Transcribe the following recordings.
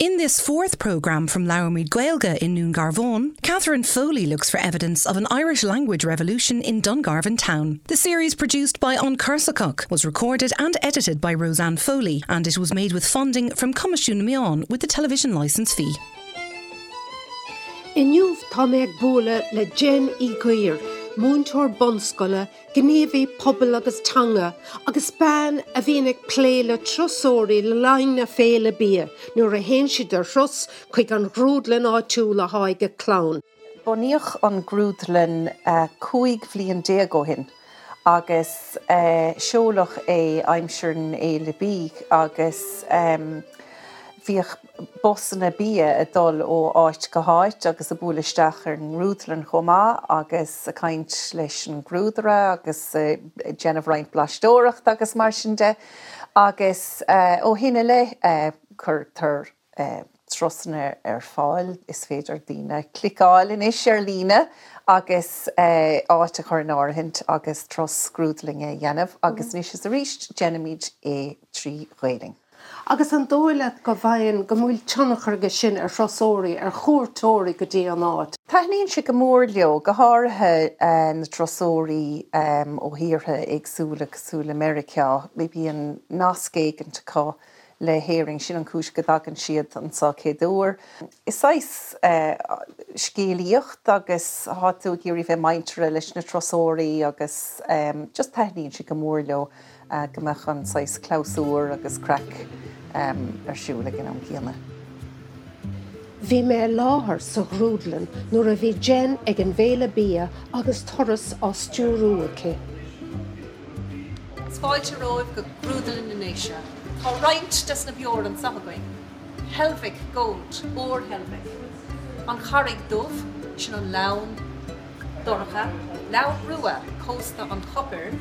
In this fourth programme from Labhraímid Gaeilge in Dún Garbhán, Catherine Foley looks for evidence of an Irish language revolution in Dungarvan town. The series produced by An Corsacoc was recorded and edited by Roseanne Foley and it was made with funding from Coimisiún na Meán with the television licence fee. Inniu tá mé ag bualadh le Jen Uí Dhuibhir, múinteoir bunscoile, gníomhaí pobail agus teanga, agus bean a bhíonn ag plé le turasóirí le linn na Féile Bia nuair a théann siad ar thuras chuig an ghrúdlann áitiúil athá ag a clann. Bunaíodh an ghrúdlann 15 bhliain ó shin agus seoladh é aimsir na Féile Bídh agus bhíodh busanna bia ag dul ó áit go háit agus ag bualadh isteach ar an ngrúdlann chomh maith agus ag caint leis an ngrúdaire agus ag déanamh roinnt blaisteoireachta agus mar sin de agus ó shin i leith cuirtear turasanna ar fáil. Is féidir daoine cliceáil anois ar líne agus áit a chur in áirithint agus turas grúdlainne a dhéanamh agus anois is arís déanaimid é trí Ghaelainn. Agus an dóigh leat go bhfaigheann, go bhfuil tionchar aige sin ar thurasóirí, ar chuairteoirí go dtí an áit? Taitníonn sé go mór leo, go háirithe na turasóirí ó thíortha éagsúla cosúil le Meiriceá. Bíonn nasc éigint acu le hÉirinn, sin an chúis go dtagann siad anseo chéad uair. Is saghas scéalaíocht agus tá tú ag iarraidh bheith muinteartha leis na turasóirí agus just taitníonn sé go mór leo. go mbeadh an saghas clabhsúr agus craic ar siúl ag an am céanna. Bhí mé i láthair sa ghrúdlann nuair a bhí Jen ag an bhFéile Bia agus turas á stiúrú aici. Is fáilte romhaibh go Grúdlann na nDéise. Tá roinnt des na beoir anseo againn. Heilbhic Gold, ór Heilbhic. An Charraig Dubh, sin an lann. dorcha, lann rua, cósta an chopair,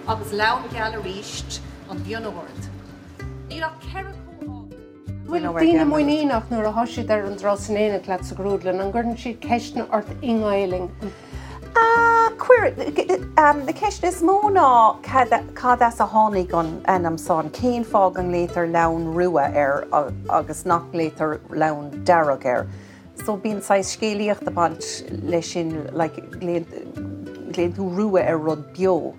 agus lann geal arís, an Bhinn Ard. Níl ach 4 comhábhar. Bhfuil daoine muiníneach nuair athá siad ar an dturas in éineacht leat sa ghrúdlann? An gcuireann siad ceisteanna ort i nGaelainn? Cuireann. Na ceisteanna is mó ná cad as a tháinig an ainm san, cén fáth go nglaotar lann rua air agus nach nglaotar lann dearg air. So bíonn saghas scéalaíocht ag baint leis sin, like glaonn tú rua ar rud beo,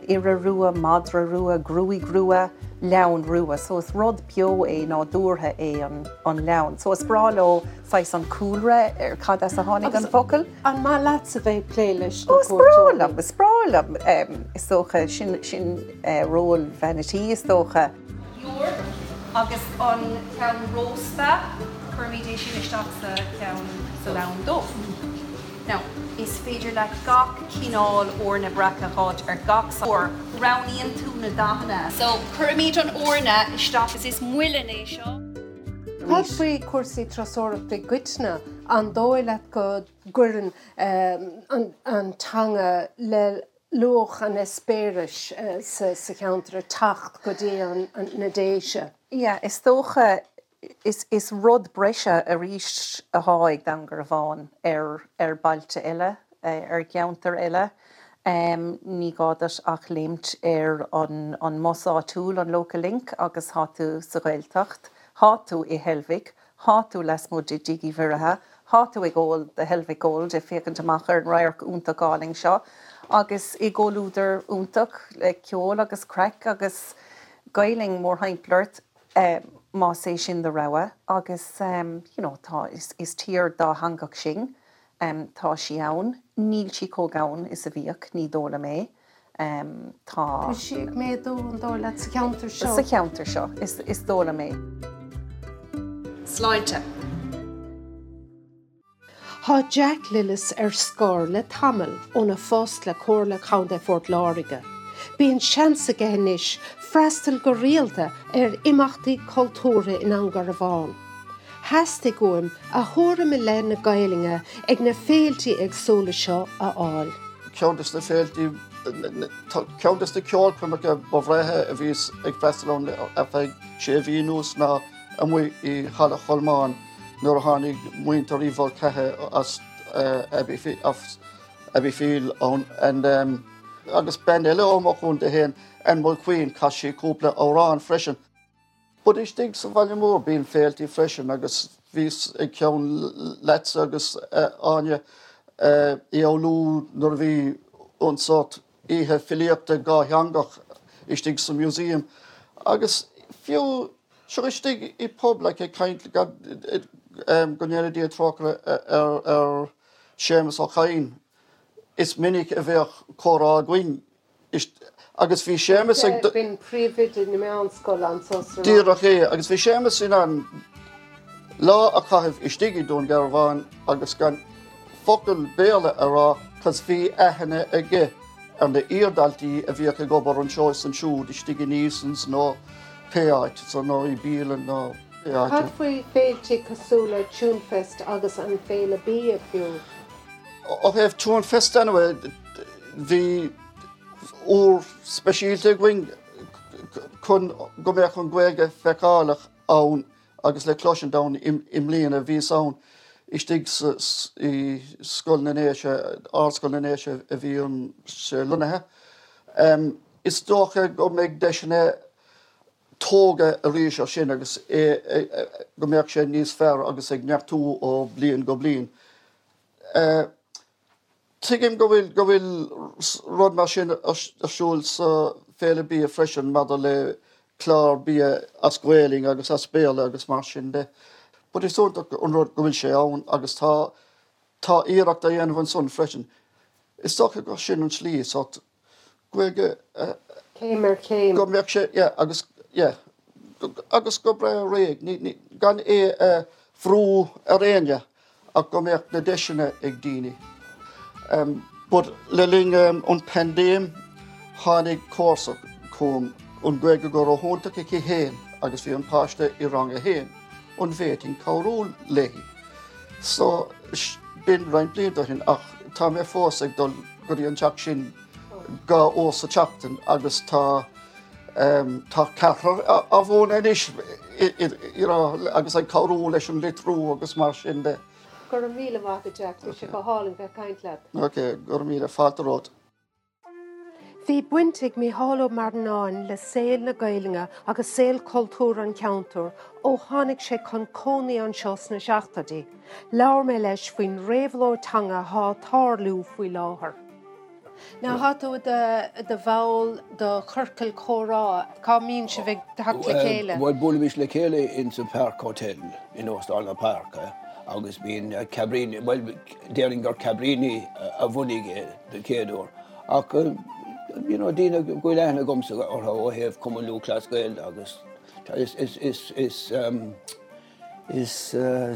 iora rua, madra rua, gruaig rua, leann rua. So is rud beo é, nádúrtha é an leann. So is breá leo saghas an cúlra ar cad as a tháinig an focal. An maith leatsa bheith ag plé leis na cuairteoirí? Ó is breá liom, is breá liom. Is dócha, sin, sin ról bhean a' tí is dócha. beoir agus an ceann rósta, cuirimid é sin isteach sa cheann, sa lann dubh. Now, is féidir leat gach cineál eorna breac a dh'fháilt ar gach saghas beoir. Roghnaíonn tú na dathanna. So, cuirimid an eorna isteach agus is muileann é seo. Cad faoi chúrsaí turasóireachta i gcoitinne? An dóigh leat go gcuireann an teanga le luach an eispéiris sa cheantar ag teacht go dtí na Déise. Yeah, is dócha, is is rud breise arís athá ag Dún Garbhán ar ar bailte eile, ar cheantair eile. Ní gá duit ach léimt ar an an mbus áitiúil, an Local Link, agus thá tú sa Ghaeltacht, thá tú i Heilbhic, Thá tú lasmuigh de Dtigh Uí Mhuirithe, thá tú ag ól do Heilbhic Gold ag féachaint amach ar an radharc iontach álainn seo agus i gcomhluadar iontach le ceol agus craic agus Gaelainn mórthimpeall ort más é sin do rogha agus you know tá, is tír dátheangach sinn. Tá sí ann. Níl sí chomh gann is a bhíodh, ní dóigh liom é. Tá. Tá sí ag méadú, an dóigh leat, sa cheantar seo? Sa cheantar seo, is dóigh liom é. Sláinte. Tá Jack Lillis ar scor le tamall óna phost le Comhairle Contae Phort Láirge. Bíonn seans aige anois freastal go rialta ar imeachtaí cultúrtha i nDún Garbhán. Theastaigh uaim a thuairim i leith na Gaelainne ag na féiltí éagsúla seo a fháil. Ceann des na féiltí, ceann des na ceolchoirmeacha ba bhreátha a bhíos ag freastal ann ar feadh sé mhí anuas ná amuigh i Halla Cholmáin nuair a tháinig muintir Uí Mhulcahy as Abbeyfeale ann agus bean eile ó mo chontae féin, Ann Mulqueen, chas sí cúpla amhrán freisin. But istigh sa bhaile mór bíonn féiltí freisin agus bhíos ag ceann leatsa agus Áine i Oulu nuair a bhí an sórt oíche filíochta dhátheangach istigh sa museum agus fiú seo istigh i pub like ag caint go ndéana Dia trócaire ar ar Séamus Ó Cadhain is minic a bheadh comhrá againn Agus bhí Séamus ag. B'in príomhoide na meánscoile anso sa Ráth. Díreach é. Agus bhí Séamus in ann lá a chaitheamh istigh i Dún Garbhán agus gan focal Béarla a rá cos bhí aithne aige ar na iardhaltaí a bhíodh ag obair anseo is ansiúd istigh in Easons nó pé áit, so nó i bialann nó pé áit. Cad faoi féilte cosúil le Tunefest agus an Féile Bia fiú? Ó thaobh Tunefest anyway, bhí uair speisialta againn chun go mbeadh an Ghaeilge feiceálach ann agus le cloisint ann i mbliana. Bhíos ann istigh i Scoil na nDéise, Ardscoil na nDéise a bhí an sé lonnaithe. Is dócha go mbeidh deiseanna tógadh arís ar sin agus go mbeadh sé níos fearr agus ag neartú ó bliain go bliain. Tuigim go bhfuil go bhfuil rud mar sin ar siúl sa Féile Bia freisin maidir le clár bia as Gaelainn agus as Béarla agus mar sin de. But is iontach an rud go bhfuil sé ann agus tá tá iarracht á dhéanamh ansan freisin. Is dócha gur sin an tslí, sórt Gaeilge a. Céim ar chéim. Go mbeadh sé, yeah, agus, yeah, agus go breá réidh, ní, ní, gan é a bhrú ar éinne ach go mbeadh na deiseanna ag daoine. But le linn an paindéim tháinig comharsa chugam, an Ghaeilge go róiontach aici féin agus bhí an páiste i rang a haon, an bhféadfainn cabhrú léi? So, b'in roinnt blianta ó shin ach tá mé fós ag dul go dtí an teach sin dhá uair sa tseachtain agus tá tá ceathrar á mhúineadh anois you know agus ag cabhrú leis an litriú agus mar sin de. Go raibh míle maith agat Jack, bhí sé go hálainn bheith ag caint leat. Ok, go raibh míle, fáilte romhat. Bhí baint ag Mícheál Ó Marannáin le saol na Gaelainne agus saol cultúir an cheantair ó tháinig sé chun cónaí anseo sna seachtóidí. Labhair mé leis faoin réabhlóid teanga atá ag tarlú faoi láthair. Now tá tú i do bhall de chiorcal comhrá, cá mbíonn sibh ag teacht le chéile? Bhuel, buailimis le chéile in sa Park Hotel in Óstán na Páirce agus bíonn Cabrini, bhuel, déarfainn gur Cabrini a bhunaigh é den chéad uair. Ach you know daoine go bhfuil aithne agamsa orthu ó thaobh Cumann Lúthchleas Gael agus is is is is um, is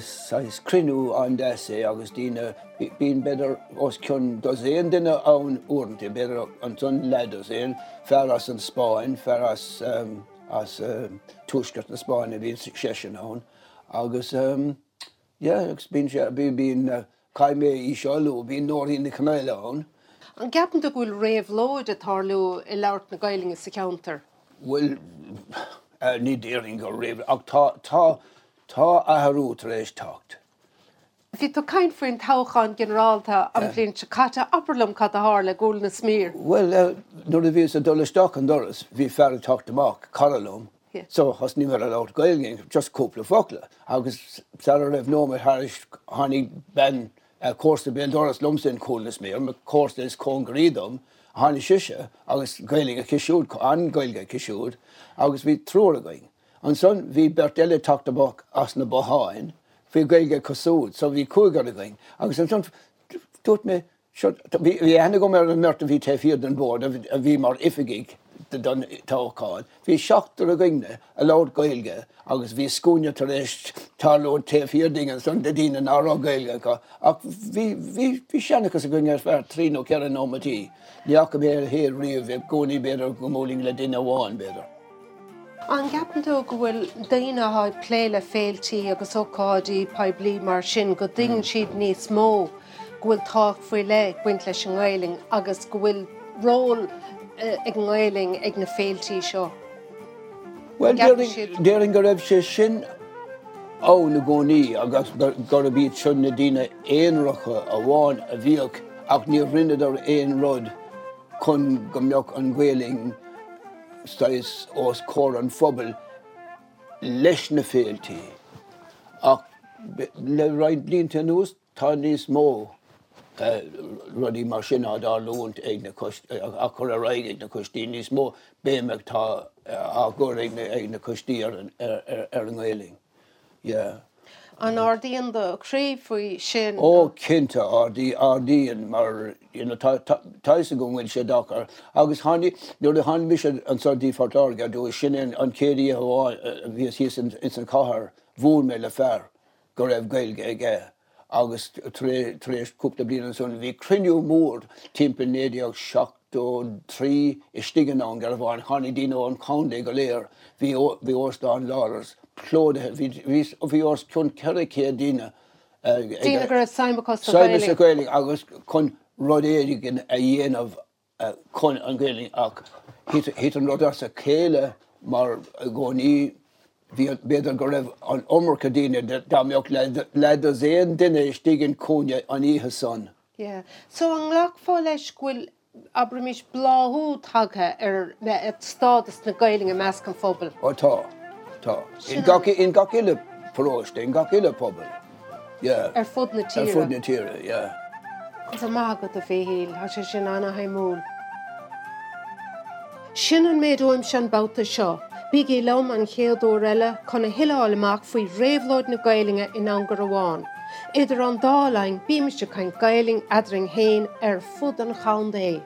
saghas cruinniú an-deas é agus daoine bíonn b'fhéidir os cionn dosaen duine ann uaireanta, b'fhéidir ansan leathdosaen, fear as an Spáinn, fear as um, as uh, tuaisceart na Spáinne bíonn seisean ann agus um, Yeah, agus bíonn sé, bíonn, caithfidh mé í seo a lua, bíonn Nóirín Nic Chonaola ann. An gceapann tú go bhfuil réabhlóid ag tarlú i labhairt na Gaelainne sa cheantar? Bhuel, ní déarfainn gur réabhlóid, ach tá, tá, tá athrú tar éis teacht. Bhí tú ag caint faoin toghchán ginearálta an bhliain seo caite, abair liom cad a tharla i gCúil na Smiar. Bhuel, nuair a bhíos ag dul isteach an doras, bhí fear ag teacht amach, cara liom, So thosnaigh mé ag labhairt Gaeilge, just cúpla focal, agus sara raibh nóiméad thairis tháinig bean comharsa béal dorais liomsa in Cúil na Smiar, mo chomharsa is cóngaraí dom, tháinig sise agus Gaeilge aici siúd, an-Ghaeilge aici siúd, agus bhí triúr againn. Ansan bhí beirt eile ag teacht amach as na botháin, bhí Gaeilge acu siúd, so bhí cúigear againn, agus ansan dúirt mé, Seo, bhí aithne agam ar an mbeirt a bhí taobh thiar den bhord a bhí mar oifigigh don toghchán. Bhí seachtar againne a labhair Gaeilge agus bhí scuaine tar éis tarlú taobh thiar dínn ansan de daoine ná raibh Gaeilge acu. Ach bhí, bhí, bhí seanchas againn ar feadh trí nó ceithre nóimeataí. Ní fhaca mé a leithéid riamh, i gcónaí b'fhéidir go mbuailfinn le duine amháin, b'fhéidir. An gceapann tú go bhfuil daoine atá ag plé le féiltí agus ócáidí poiblí mar sin, go dtuigeann siad níos mó go bhfuil tábhacht faoi leith ag baint leis an nGaelainn agus go bhfuil ról ag an nGaelainn ag na féiltí seo? Bhuel, déarfainn go raibh sé sin ann i gcónaí agus gurb iad seo na daoine aonaracha amháin a bhíodh ach níor rinneadar aon rud chun go mbeadh an Ghaelainn saghas os comhair an phobail. leis na féiltí ach le roinnt blianta anuas tá níos mó rudaí mar sin á dtarlúint ag na coistí, á cur ar aghaidh ag na coistí, níos mó béime atá á gcur ag na coistí ar an nGaelainn. Yeah. An ardaíonn do chroí faoi sin? Ó cinnte, ardaíonn mar you know tá tá tá fhios agam go bhfuil sé deacair agus tháinig, nuair a tháinig mise anso dtí Phort Láirge ar dtús, sin é an chéad oíche amháin a bhíos thíos ins an chathair, bhuail mé le fear go raibh Gaeilge aige agus tar éis cúpla bliain ansan bhí cruinniú mór timpeall 1973 istigh i nDún Garbhán, tháinig daoine ón chontae go léir, bhí bhí Óstán Lawlor's plódaithe, bhí bhí bhí os cionn 400 daoine ag Daoine go raibh suim acu sa Ghaeilge. Suim sa Ghaeilge agus chun rud éigin a dhéanamh chun an Ghaeilge ach thit an rud as a chéile mar i gcónaí bhí b'fhéidir go raibh an iomarca daoine dá mbeadh leathdosaen duine istigh in cúinne an oíche san. Yeah. So an nglacfá leis go bhfuil, abraimis, bláthú tagtha ar stádas na Gaeilge i measc an phobail? Ó tá, tá. In gach, in gach uile paróiste, in gach uile pobal. Yeah. Ar fud na tíre. Ar fud na tíre, yeah. Go raibh maith agat, a Mhíchíl, tá sé sin ana-shuimiúil. Sin an méid uaimse an babhta seo. Bígí liom an chéad uair eile chun a thuilleadh a fháil amach faoi réabhlóid na Gaelainne i nDún Garbhán. Idir an dá linn, bímis ag caint Gaelainn eadrainn féin ar fud an chontae.